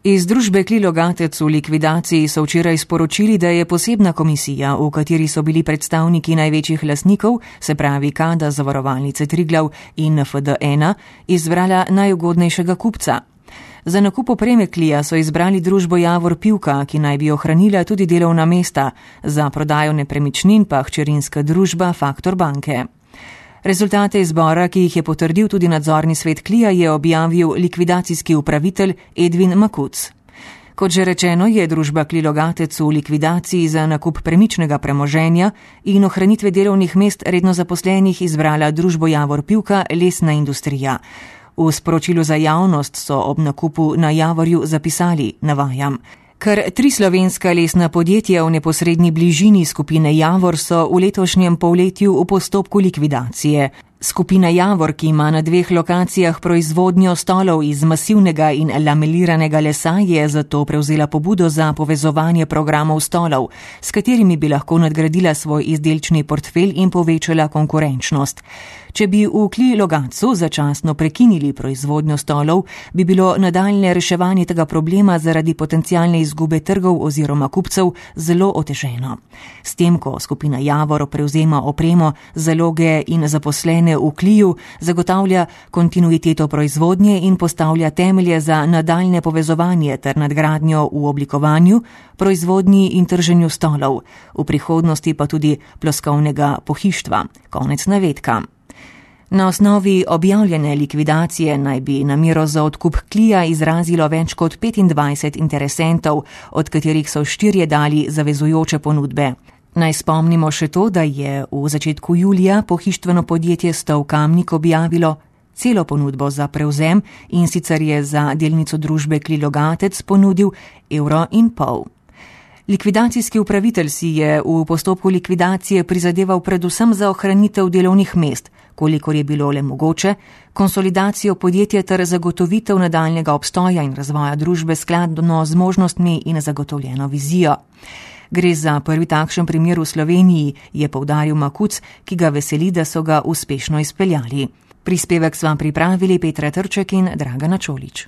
Iz družbe Kli Logatec v likvidaciji so včeraj sporočili, da je posebna komisija, v kateri so bili predstavniki največjih lastnikov, se pravi Kada, Zavarovalnice Triglav in FD1, izbrala najugodnejšega kupca. Za nakup opreme Klija so izbrali družbo Javor Pivka, ki naj bi ohranila tudi delovna mesta, za prodajo nepremičnin pa hčerinska družba Faktor banke. Rezultate izbora, ki jih je potrdil tudi nadzorni svet Klija, je objavil likvidacijski upravitelj Edvin Makuc. Kot že rečeno, je družba Kli Logatec v likvidaciji za nakup premičnega premoženja in ohranitve delovnih mest redno zaposlenih izbrala družbo Javor Pivka Lesna industrija. V sporočilu za javnost so ob nakupu na Javorju zapisali, navajam: Kar 3 slovenska lesna podjetja v neposredni bližini skupine Javor so v letošnjem polletju v postopku likvidacije. Skupina Javor, ki ima na 2 lokacijah proizvodnjo stolov iz masivnega in lameliranega lesa, je zato prevzela pobudo za povezovanje programov stolov, s katerimi bi lahko nadgradila svoj izdelčni portfelj in povečala konkurenčnost. Če bi v Kli Logatcu začasno prekinili proizvodnjo stolov, bi bilo nadaljne reševanje tega problema zaradi potencialne izgube trgov oziroma kupcev zelo oteženo. S tem, ko skupina Javor prevzema opremo, zaloge in zaposlene v Kliju, zagotavlja kontinuiteto proizvodnje in postavlja temelje za nadaljne povezovanje ter nadgradnjo v oblikovanju, proizvodnji in trženju stolov, v prihodnosti pa tudi ploskovnega pohištva. Konec navedka. Na osnovi objavljene likvidacije naj bi namero za odkup Klija izrazilo več kot 25 interesentov, od katerih so 4 dali zavezujoče ponudbe. Naj spomnimo še to, da je v začetku julija pohištveno podjetje Stov Kamnik objavilo celo ponudbo za prevzem, in sicer je za delnico družbe Kli Logatec ponudil €1,5. Likvidacijski upravitelj si je v postopku likvidacije prizadeval predvsem za ohranitev delovnih mest, kolikor je bilo le mogoče, konsolidacijo podjetja ter zagotovitev nadaljnjega obstoja in razvoja družbe skladno z možnostmi in zagotovljeno vizijo. Gre za prvi takšen primer v Sloveniji, je poudaril Makuc, ki ga veseli, da so ga uspešno izpeljali. Prispevek sva pripravili Petra Trček in Dragana Čolič.